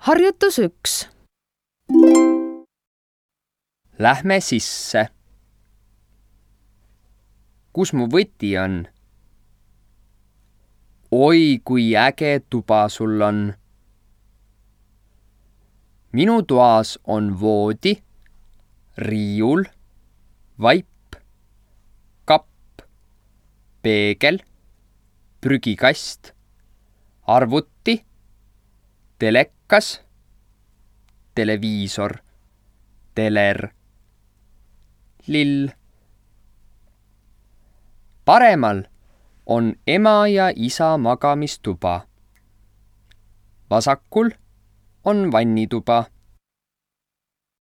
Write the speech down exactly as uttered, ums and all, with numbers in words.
Harjutus üks. Lähme sisse. Kus mu võti on? Oi, kui äge tuba sul on. Minu toas on voodi, riiul, vaip, kapp, peegel, prügikast, arvuti, telekas, televiisor, teler, lill. Paremal on ema ja isa magamistuba. Vasakul on vannituba.